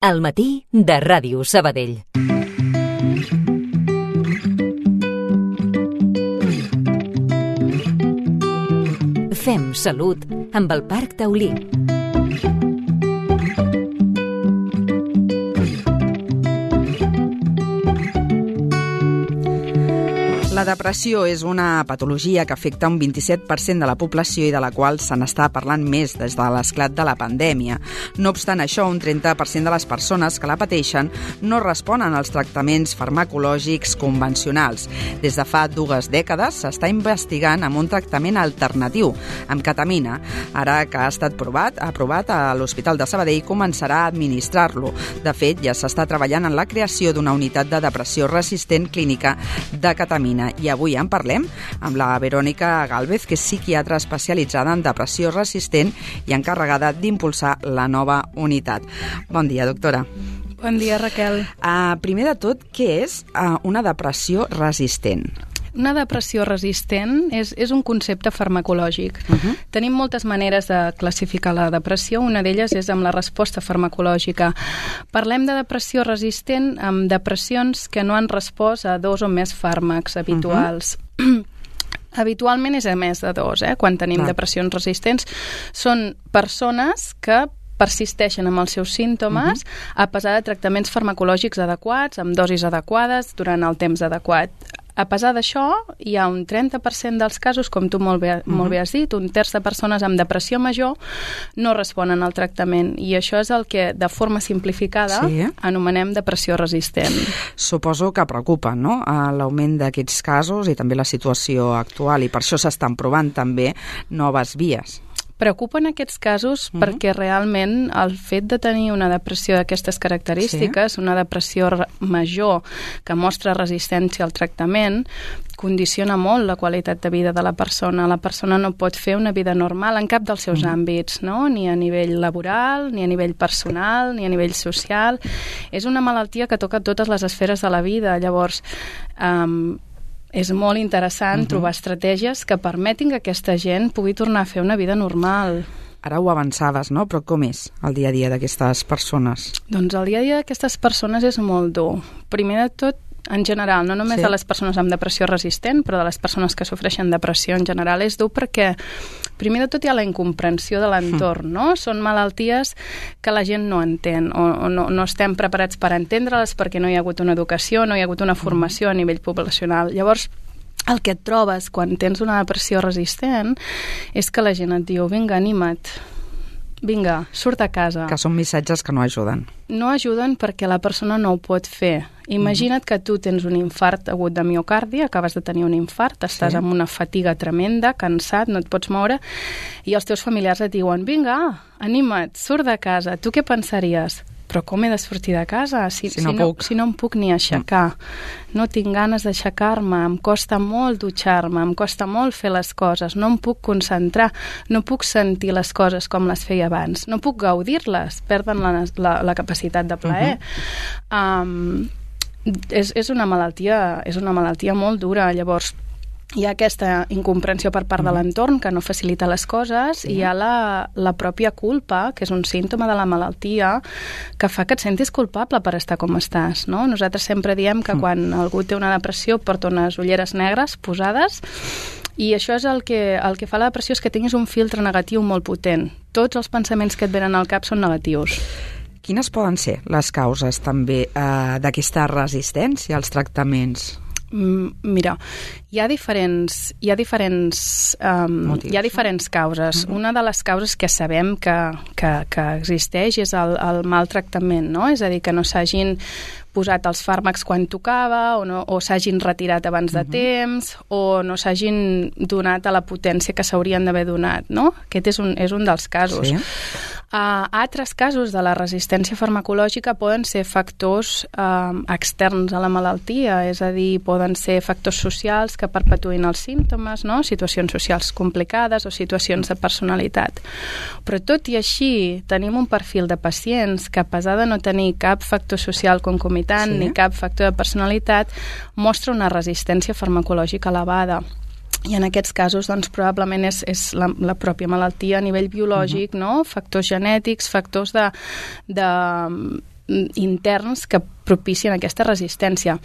Al matí de Ràdio Sabadell. Fem salut amb el Parc Taulí. La depressió és una patologia que afecta un 27% de la població i de la qual se n'està parlant més des de l'esclat de la pandèmia. No obstant això, un 30% de les persones que la pateixen no responen als tractaments farmacològics convencionals. Des de fa 2 dècades s'està investigant amb un tractament alternatiu, amb ketamina. Ara que ha estat aprovat a l'Hospital de Sabadell, començarà a administrar-lo. De fet, ja s'està treballant en la creació d'una unitat de depressió resistent clínica de ketamina. I avui en parlem amb la Verònica Gálvez, que és psiquiatra especialitzada en depressió resistent i encarregada d'impulsar la nova unitat. Bon dia, doctora. Bon dia, Raquel. Primer de tot, què és una depressió resistent? Una depressió resistent és un concepte farmacològic. Tenim moltes maneres de classificar la depressió. Una d'elles és amb la resposta farmacològica. Parlem de depressió resistent amb depressions que no han respost a 2 o més fàrmacs habituals. Habitualment és a més de 2, quan tenim depressions resistents. Són persones que persisteixen amb els seus símptomes a pesar de tractaments farmacològics adequats, amb dosis adequades, durant el temps adequat. A pesar d'això, hi ha un 30% dels casos, com tu molt bé has dit, un terç de persones amb depressió major no responen al tractament, i això és el que, de forma simplificada, anomenem depressió resistent. Suposo que preocupa, no?, l'augment d'aquests casos i també la situació actual, i per això s'estan provant també noves vies. Preocupen aquests casos perquè realment el fet de tenir una depressió d'aquestes característiques, una depressió major que mostra resistència al tractament, condiciona molt la qualitat de vida de la persona. La persona no pot fer una vida normal en cap dels seus àmbits, no? Ni a nivell laboral, ni a nivell personal, ni a nivell social. És una malaltia que toca totes les esferes de la vida. Llavors, és molt interessant trobar estratègies que permetin que aquesta gent pugui tornar a fer una vida normal. Ara ho avançaves, no? Però com és el dia a dia d'aquestes persones? Doncs el dia a dia d'aquestes persones és molt dur. Primer de tot, en general, no només de les persones amb depressió resistent, però de les persones que sofreixen depressió en general, és dur perquè, primer de tot, hi ha la incomprensió de l'entorn, no? Són malalties que la gent no entén, o no estem preparats per entendre-les perquè no hi ha hagut una educació, no hi ha hagut una formació a nivell poblacional. Llavors, el que et trobes quan tens una depressió resistent és que la gent et diu: vinga, anima't, vinga, surt a casa. Que són missatges que no ajuden. No ajuden perquè la persona no ho pot fer. Imagina't que tu tens un infart agut de miocardi, acabes de tenir un infart, estàs amb una fatiga tremenda, cansat, no et pots moure, i els teus familiars et diuen: vinga, anima't, surt de casa. Tu què pensaries? Però com he de sortir de casa si no em puc ni aixecar? No tinc ganes d'aixecar-me, em costa molt dutxar-me, em costa molt fer les coses, no em puc concentrar, no puc sentir les coses com les feia abans, no puc gaudir-les, perden la capacitat de plaer. És una malaltia molt dura. Llavors, hi ha aquesta incomprensió per part de l'entorn que no facilita les coses, i hi ha la pròpia culpa, que és un símptoma de la malaltia, que fa que et sentis culpable per estar com estàs, no? Nosaltres sempre diem que quan algú té una depressió porta unes ulleres negres posades, i això és el que fa la depressió, és que tinguis un filtre negatiu molt potent. Tots els pensaments que et venen al cap són negatius. Quines poden ser les causes també d'aquesta resistència als tractaments? Mira, hi ha diferents causes. Una de les causes que sabem que existeix és el maltractament, no? És a dir, que no s'hagin posat els fàrmacs quan tocava, o s'hagin retirat abans de temps, o no s'hagin donat a la potència que s'haurien d'haver donat, no? Aquest és un dels casos. Altres casos de la resistència farmacològica poden ser factors externs a la malaltia, és a dir, poden ser factors socials que perpetuïn els símptomes, no? Situacions socials complicades o situacions de personalitat. Però tot i així, tenim un perfil de pacients que, a pesar de no tenir cap factor social concomitant ni cap factor de personalitat, mostra una resistència farmacològica elevada. I en aquests casos, doncs, probablement és la pròpia malaltia a nivell biològic, no? Factors genètics, factors interns que propicien aquesta resistència.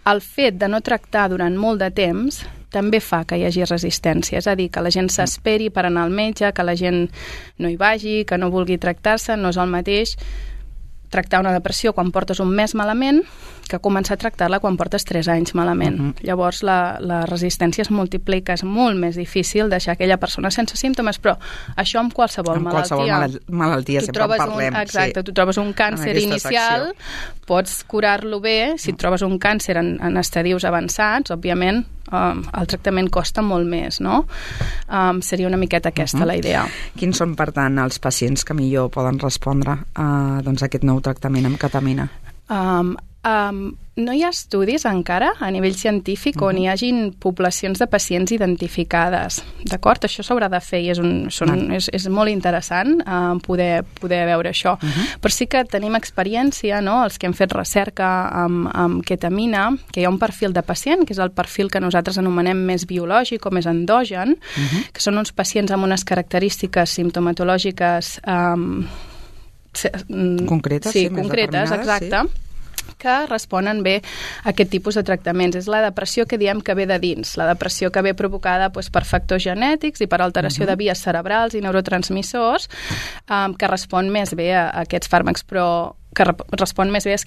El fet de no tractar durant molt de temps també fa que hi hagi resistència, és a dir, que la gent s'esperi per anar al metge, que la gent no hi vagi, que no vulgui tractar-se, no és el mateix tractar una depressió quan portes un mes malament que començar a tractar-la quan portes 3 anys malament. Llavors la resistència es multiplica, és molt més difícil deixar aquella persona sense símptomes, però això amb qualsevol malaltia. Amb qualsevol malaltia sempre en parlem. Exacte, tu trobes un càncer inicial, pots curar-lo bé, si et trobes un càncer en estadius avançats, òbviament el tractament costa molt més, no? Seria una miqueta aquesta la idea. Quins són, per tant, els pacients que millor poden respondre a aquest nou tractament amb ketamina? No hi ha estudis encara a nivell científic on hi hagin poblacions de pacients identificades, d'acord? Això s'haurà de fer i és molt interessant poder veure això. Però sí que tenim experiència, no? Els que hem fet recerca amb ketamina, que hi ha un perfil de pacient, que és el perfil que nosaltres anomenem més biològic o més endogen, que són uns pacients amb unes característiques simptomatològiques concretes, exacte. Sí, que responen bé a aquest tipus de tractaments. És la depressió que diem que ve de dins, la depressió que ve provocada per factors genètics i per alteració de vies cerebrals i neurotransmissors, que respon més bé a aquests fàrmacs, però que respon més bé a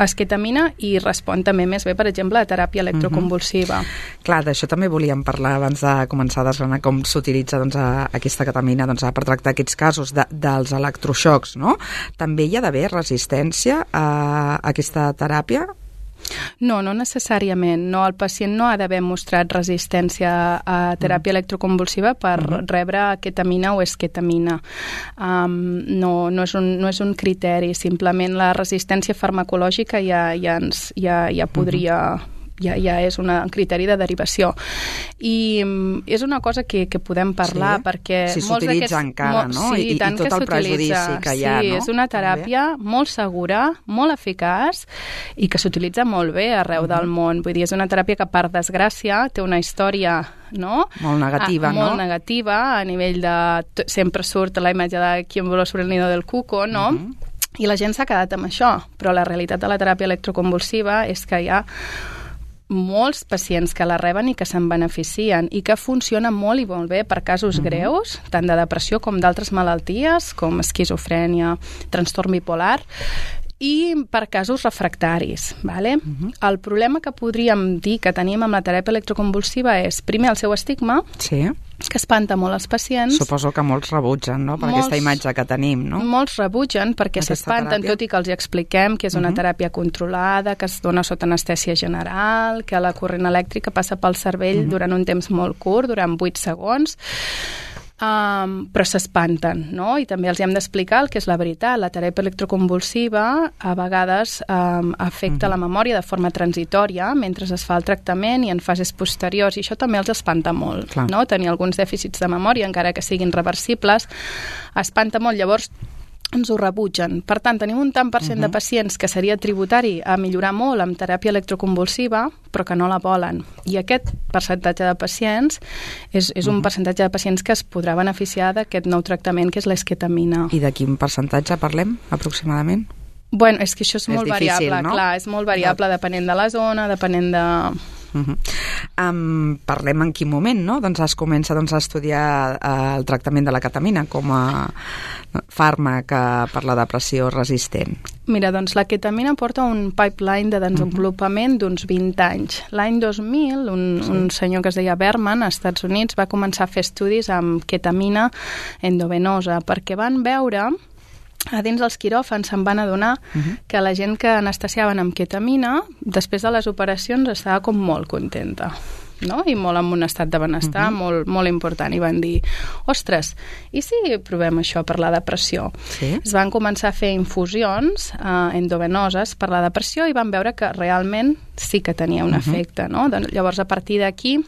esketamina i respon també més bé, per exemple, a teràpia electroconvulsiva. Clar, d'això també volíem parlar abans de començar a desgranar com s'utilitza aquesta ketamina per tractar aquests casos dels electroxocs, no? També hi ha d'haver resistència a aquesta teràpia? No necessàriament. No, el pacient no ha d'haver mostrat resistència a teràpia electroconvulsiva per rebre ketamina o esketamina. No és un criteri. Simplement la resistència farmacològica ja podria... Ja és un criteri de derivació. I és una cosa que podem parlar, perquè... Si s'utilitza encara, no? Sí, I tot el prejudici que hi ha, no? Sí, és una teràpia molt segura, molt eficaç i que s'utilitza molt bé arreu del món. Vull dir, és una teràpia que, per desgràcia, té una història, no? Molt negativa, no? Molt negativa, a nivell de... Sempre surt la imatge de Quien voló sobre el nido del cuco, no? I la gent s'ha quedat amb això, però la realitat de la teràpia electroconvulsiva és que hi ha molts pacients que la reben i que se'n beneficien i que funciona molt i molt bé per casos greus, tant de depressió com d'altres malalties, com esquizofrènia, trastorn bipolar, i per casos refractaris. Vale? El problema que podríem dir que tenim amb la teràpia electroconvulsiva és, primer, el seu estigma, que espanta molt els pacients. Suposo que molts rebutgen, no?, per aquesta imatge que tenim, no? Molts rebutgen perquè s'espanten, tot i que els expliquem que és una teràpia controlada, que es dona sota anestèsia general, que la corrent elèctrica passa pel cervell durant un temps molt curt, durant 8 segons, però s'espanten, no? I també els hem d'explicar el que és la veritat. La teràpia electroconvulsiva a vegades afecta la memòria de forma transitòria mentre es fa el tractament i en fases posteriors, i això també els espanta molt, no? Tenir alguns dèficits de memòria, encara que siguin reversibles, espanta molt. Llavors ens ho rebutgen. Per tant, tenim un tant per cent de pacients que seria tributari a millorar molt amb teràpia electroconvulsiva, però que no la volen. I aquest percentatge de pacients és un percentatge de pacients que es podrà beneficiar d'aquest nou tractament, que és l'esketamina. I de quin percentatge parlem, aproximadament? Bueno, és que això és molt difícil, variable, no? Clar, és molt variable depenent de la zona, depenent de... Parlem en quin moment, no? Doncs es comença a estudiar el tractament de la ketamina com a fàrmac per la depressió resistent. Mira, doncs la ketamina porta un pipeline de desenvolupament d'uns 20 anys. L'any 2000, un senyor que es deia Berman, als Estats Units, va començar a fer estudis amb ketamina endovenosa, perquè van veure... A dins dels quiròfans se'n van adonar que la gent que anestesiaven amb ketamina, després de les operacions, estava com molt contenta, no? I molt en un estat de benestar molt, molt important. I van dir, ostres, i si provem això per la depressió? Es van començar a fer infusions endovenoses per la depressió i van veure que realment sí que tenia un efecte, no? Doncs, llavors, a partir d'aquí,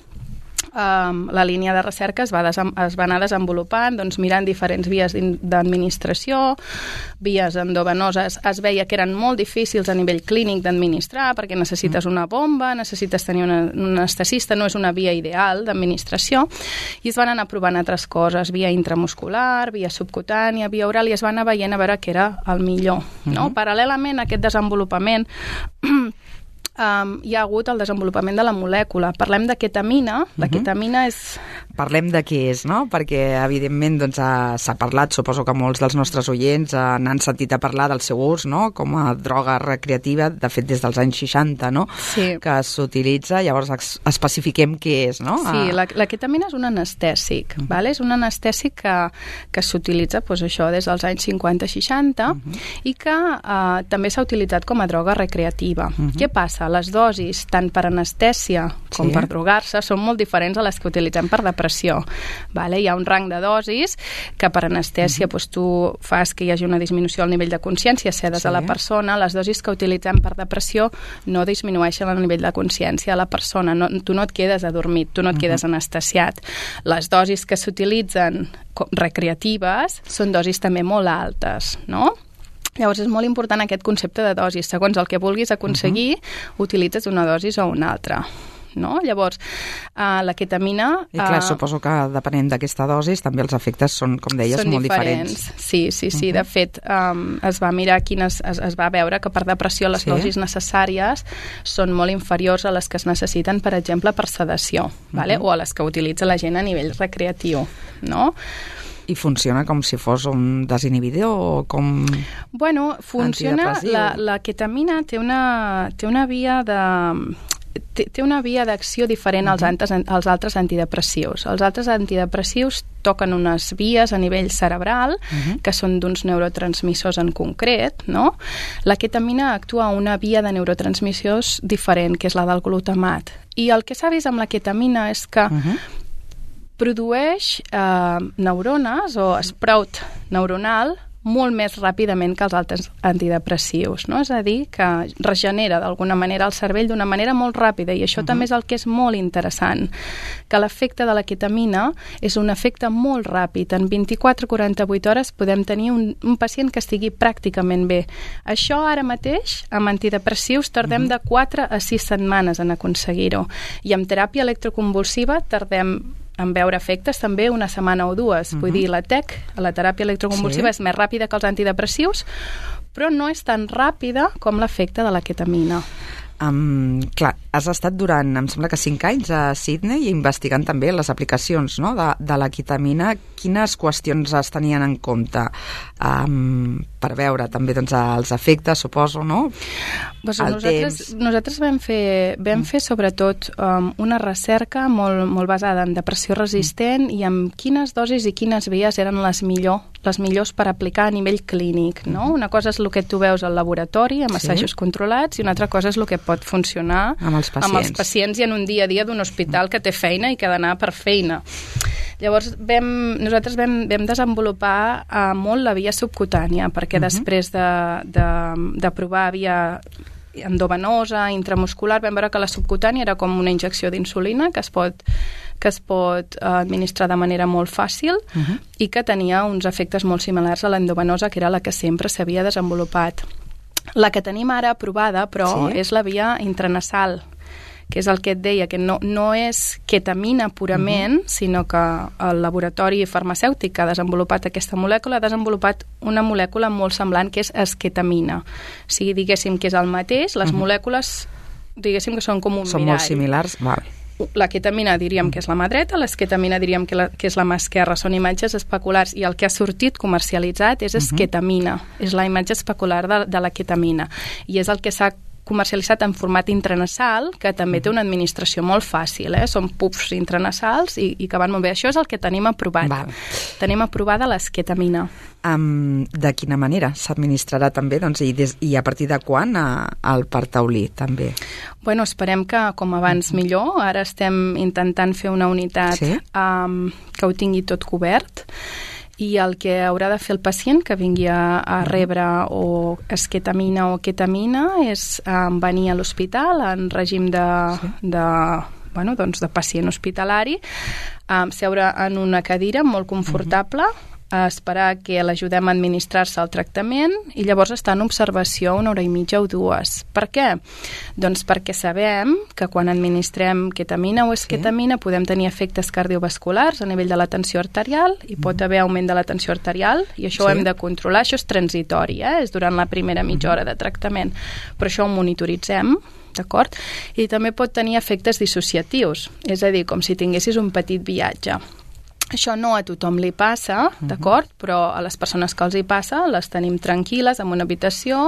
la línia de recerca es va anar desenvolupant, doncs, mirant diferents vies d'administració, vies endovenoses. Es veia que eren molt difícils a nivell clínic d'administrar, perquè necessites una bomba, necessites tenir un anestesista, no és una via ideal d'administració, i es van anar provant altres coses, via intramuscular, via subcutània, via oral, i es va anar veient a veure què era el millor. No? Paral·lelament a aquest desenvolupament hi ha hagut el desenvolupament de la molècula. Parlem de ketamina. La ketamina és... Parlem de què és, no? Perquè, evidentment, doncs, s'ha parlat, suposo que molts dels nostres oients n'han sentit a parlar del seu ús, no? Com a droga recreativa, de fet, des dels anys 60, no? Sí. Que s'utilitza. Llavors, especifiquem què és, no? Sí, la ketamina és un anestèsic, ¿vale? És un anestèsic que s'utilitza, doncs, això, des dels anys 50-60 i que també s'ha utilitzat com a droga recreativa. Què passa? Les dosis, tant per anestèsia com per drogar-se, són molt diferents a les que utilitzem per depressió. Vale? Hi ha un rang de dosis que per anestèsia doncs, tu fas que hi hagi una disminució al nivell de consciència, cedes a la persona. Les dosis que utilitzem per depressió no disminueixen el nivell de consciència a la persona. Tu no et quedes adormit, tu no et quedes anestesiat. Les dosis que s'utilitzen recreatives són dosis també molt altes, no? Llavors és molt important aquest concepte de dosis. Segons el que vulguis aconseguir, utilitzes una dosis o una altra. No? Llavors, la ketamina... I clar, suposo que depenent d'aquesta dosis també els efectes són, com deies, molt diferents. Sí. De fet, es va mirar es va veure que per depressió les dosis necessàries són molt inferiors a les que es necessiten, per exemple, per sedació, vale? O a les que utilitza la gent a nivell recreatiu, no? I funciona com si fos un desinhibidor o com... Bueno, funciona... La ketamina té una via de... té una via d'acció diferent als altres antidepressius. Els altres antidepressius toquen unes vies a nivell cerebral que són d'uns neurotransmissors en concret, no? La ketamina actua a una via de neurotransmissors diferent, que és la del glutamat. I el que s'ha vist amb la ketamina és que produeix neurones o sprout neuronal molt més ràpidament que els altres antidepressius, no? És a dir, que regenera d'alguna manera el cervell d'una manera molt ràpida, i això també és el que és molt interessant, que l'efecte de la ketamina és un efecte molt ràpid. En 24-48 hores podem tenir un pacient que estigui pràcticament bé. Això ara mateix, amb antidepressius, tardem de 4 a 6 setmanes en aconseguir-ho, i amb teràpia electroconvulsiva tardem en veure efectes també una setmana o dues. Vull dir, la TEC, la teràpia electroconvulsiva, és més ràpida que els antidepressius, però no és tan ràpida com l'efecte de la ketamina. Clar, has estat durant, em sembla que 5 anys a Sydney, investigant també les aplicacions, no, de la ketamina. Quines qüestions es tenien en compte per veure també, doncs, els efectes, suposo, no? Pues nosaltres vam fer sobretot una recerca molt basada en depressió resistent i en quines dosis i quines vies eren les millors per aplicar a nivell clínic, no? Una cosa és el que tu veus al laboratori, amb assajos controlats, i una altra cosa és el que pot funcionar amb els pacients i en un dia a dia d'un hospital que té feina i que ha d'anar per feina. Llavors, nosaltres vam desenvolupar molt la via subcutània, perquè després de provar via endovenosa, intramuscular, vam veure que la subcutània era com una injecció d'insulina que es pot administrar de manera molt fàcil i que tenia uns efectes molt similars a l'endovenosa, que era la que sempre s'havia desenvolupat. La que tenim ara aprovada, però, és la via intranasal, que és el que et deia, que no és ketamina purament, sinó que el laboratori farmacèutic que ha desenvolupat aquesta molècula ha desenvolupat una molècula molt semblant, que és esketamina. O sigui, diguéssim que és el mateix, les molècules, diguéssim que són com un mirall. Són molt similars, val. La ketamina diríem que és la mà dreta, l'esketamina diríem que és la mà esquerra. Són imatges especulars, i el que ha sortit comercialitzat és esketamina, és la imatge especular de la ketamina, i és el que s'ha comercialitzat en format intranasal, que també té una administració molt fàcil, són puffs intranasals i que van molt bé. Això és el que tenim aprovat. Val. Tenim aprovada l'esketamina. De quina manera s'administrarà també, doncs, i a partir de quan el Partaulí també? Bueno, esperem que com abans millor. Ara estem intentant fer una unitat que ho tingui tot cobert, i el que haurà de fer el pacient que vingui a rebre o esketamina o ketamina és venir a l'hospital en règim de doncs de pacient hospitalari, seure en una cadira molt confortable, a esperar que l'ajudem a administrar-se el tractament i llavors estar en observació 1 hora i mitja o 2. Per què? Doncs perquè sabem que quan administrem ketamina o esketamina podem tenir efectes cardiovasculars a nivell de la tensió arterial i pot haver augment de la tensió arterial i això ho hem de controlar. Això és transitori, és durant la primera mitja hora de tractament, però això ho monitoritzem, d'acord? I també pot tenir efectes dissociatius, és a dir, com si tinguessis un petit viatge. Això no a tothom li passa, d'acord? Però a les persones que els hi passa les tenim tranquil·les en una habitació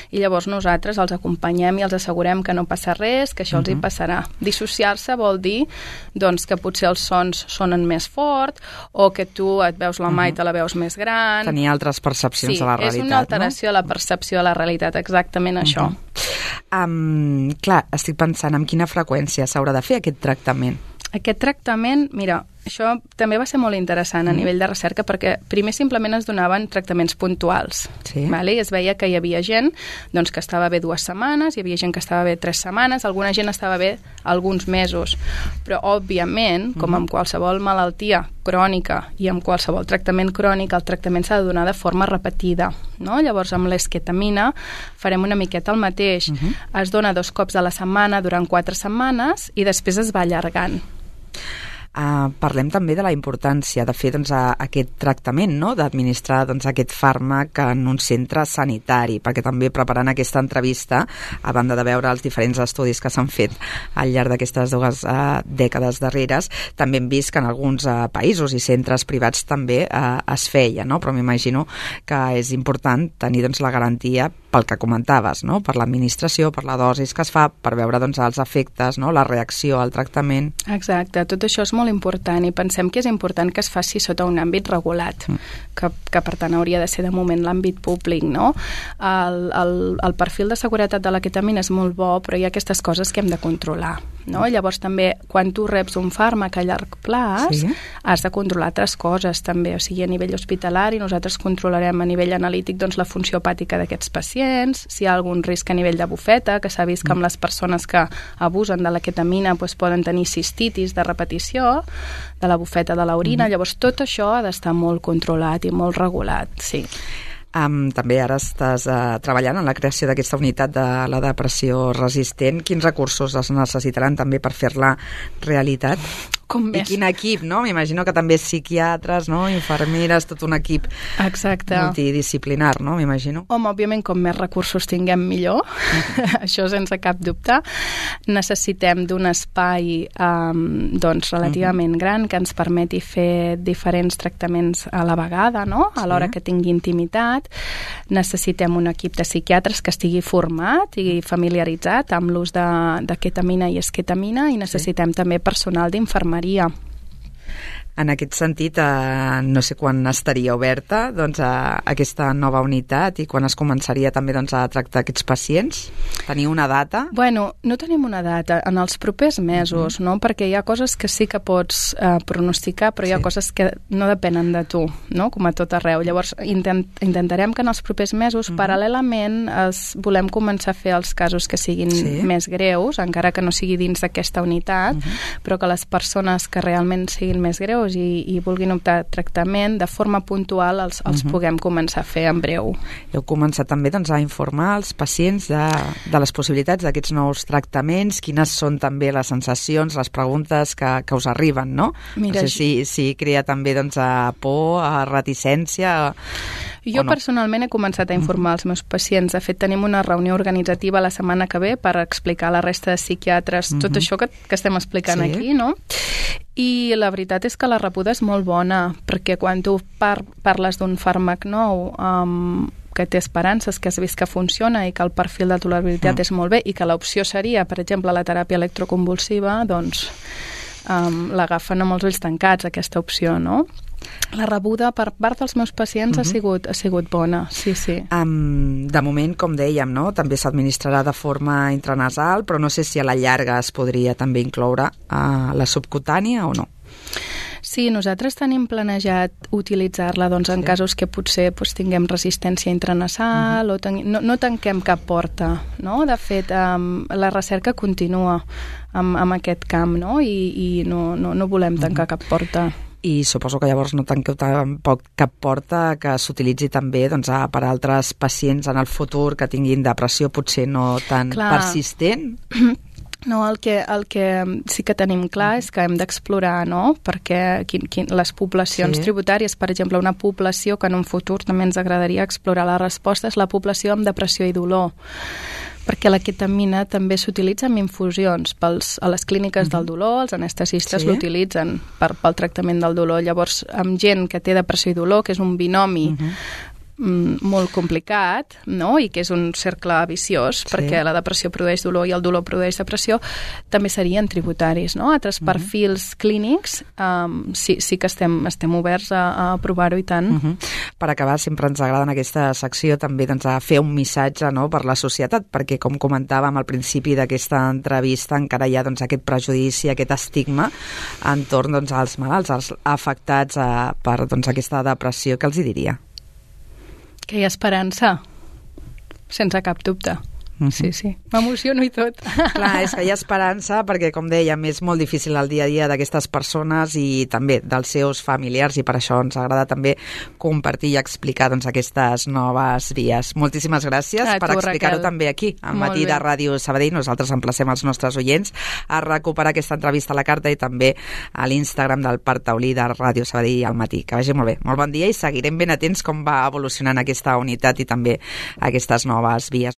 i llavors nosaltres els acompanyem i els assegurem que no passa res, que això els hi passarà. Dissociar-se vol dir doncs, que potser els sons sonen més fort o que tu et veus la mà i te la veus més gran. Tenir altres percepcions de la realitat, és una alteració de la percepció de la realitat, exactament això. Clar, estic pensant en quina freqüència s'haurà de fer aquest tractament. Aquest tractament, mira, això també va ser molt interessant a nivell de recerca perquè primer simplement es donaven tractaments puntuals. Vale? I es veia que hi havia gent doncs, que estava bé 2 setmanes, hi havia gent que estava bé 3 setmanes, alguna gent estava bé alguns mesos. Però, òbviament, com amb qualsevol malaltia crònica i amb qualsevol tractament crònic, el tractament s'ha de donar de forma repetida. No? Llavors, amb l'esketamina farem una miqueta el mateix. Es dona 2 cops a la setmana durant 4 setmanes i després es va allargant. Parlem també de la importància de fer aquest tractament, no? D'administrar aquest fàrmac en un centre sanitari, perquè també preparant aquesta entrevista, a banda de veure els diferents estudis que s'han fet al llarg d'aquestes 2 dècades darreres, també hem vist que en alguns països i centres privats també es feia, no? Però m'imagino que és important tenir la garantia pel que comentaves, no? Per l'administració, per la dosis que es fa, per veure els efectes, no? La reacció al tractament. Exacte, tot això és molt important i pensem que és important que es faci sota un àmbit regulat, que per tant hauria de ser de moment l'àmbit públic, no? El perfil de seguretat de la ketamina és molt bo, però hi ha aquestes coses que hem de controlar, no? Llavors també, quan tu reps un fàrmac a llarg plaç, has de controlar altres coses també, o sigui, a nivell hospitalari nosaltres controlarem a nivell analític la funció hepàtica d'aquests pacients, si hi ha algun risc a nivell de bufeta, que s'ha vist que amb les persones que abusen de la ketamina poden tenir cistitis de repetició de la bufeta de l'orina, llavors tot això ha d'estar molt controlat i molt regulat, sí. També ara estàs treballant en la creació d'aquesta unitat de la depressió resistent. Quins recursos es necessitaran també per fer-la realitat? I quin equip, no? M'imagino que també psiquiatres, no? Infermeres, tot un equip multidisciplinar, no? M'imagino. Home, òbviament, com més recursos tinguem, millor. Això sense cap dubte. Necessitem d'un espai relativament gran que ens permeti fer diferents tractaments a la vegada, no? Alhora que tingui intimitat. Necessitem un equip de psiquiatres que estigui format i familiaritzat amb l'ús de ketamina i esketamina i necessitem també personal d'infermeria. En aquest sentit, no sé quan estaria oberta aquesta nova unitat i quan es començaria també a tractar aquests pacients? Teniu una data? Bueno, no tenim una data. En els propers mesos, no? Perquè hi ha coses que sí que pots pronosticar, però hi ha coses que no depenen de tu, no? Com a tot arreu. Llavors, intentarem que en els propers mesos, paral·lelament, volem començar a fer els casos que siguin més greus, encara que no sigui dins d'aquesta unitat, però que les persones que realment siguin més greus i vulguin optar a tractament, de forma puntual els puguem començar a fer en breu. Heu començat també a informar els pacients de les possibilitats d'aquests nous tractaments, quines són també les sensacions, les preguntes que us arriben, no? Mira, no sé si crea també por, reticència... Jo personalment he començat a informar els meus pacients. De fet, tenim una reunió organitzativa la setmana que ve per explicar a la resta de psiquiatres tot això que estem explicant aquí, no? I la veritat és que la rebuda és molt bona, perquè quan tu parles d'un fàrmac nou que té esperances, que has vist que funciona i que el perfil de tolerabilitat és molt bé i que l'opció seria, per exemple, la teràpia electroconvulsiva, doncs l'agafen amb els ulls tancats, aquesta opció, no? La rebuda per part dels meus pacients ha sigut bona, sí. De moment, com dèiem, no? També s'administrarà de forma intranasal, però no sé si a la llarga es podria també incloure la subcutània o no. Sí, nosaltres tenim planejat utilitzar-la en casos que potser tinguem resistència intranasal o no tanquem cap porta, no? De fet, la recerca continua amb aquest camp, no? I no volem tancar cap porta. I suposo que llavors no tanqueu tampoc cap porta que s'utilitzi també per a altres pacients en el futur que tinguin depressió potser no tan persistent? No, el que sí que tenim clar és que hem d'explorar, no?, perquè les poblacions tributàries, per exemple, una població que en un futur també ens agradaria explorar la resposta és la població amb depressió i dolor, perquè la ketamina també s'utilitza en infusions a les clíniques del dolor, els anestesistes l'utilitzen pel tractament del dolor. Llavors, amb gent que té depressió i dolor, que és un binomi molt complicat, no? I que és un cercle viciós, perquè la depressió produeix dolor i el dolor produeix depressió, també serien tributaris, no? Altres perfils clínics sí que estem oberts a provar-ho i tant. Per acabar, sempre ens agrada en aquesta secció també a fer un missatge, no?, per la societat, perquè com comentàvem al principi d'aquesta entrevista encara hi ha aquest prejudici, aquest estigma entorn als malalts, als afectats per aquesta depressió. Què els hi diria? Que hi ha esperança, sense cap dubte. Sí. M'emociono i tot. Clar, és que hi ha esperança perquè, com dèiem, és molt difícil el dia a dia d'aquestes persones i també dels seus familiars, i per això ens agrada també compartir i explicar aquestes noves vies. Moltíssimes gràcies per explicar-ho també aquí, al Matí de Ràdio Sabadell. Nosaltres emplacem els nostres oients a recuperar aquesta entrevista a la carta i també a l'Instagram del Parc Taulí de Ràdio Sabadell al matí. Que vagi molt bé. Molt bon dia i seguirem ben atents com va evolucionant aquesta unitat i també aquestes noves vies.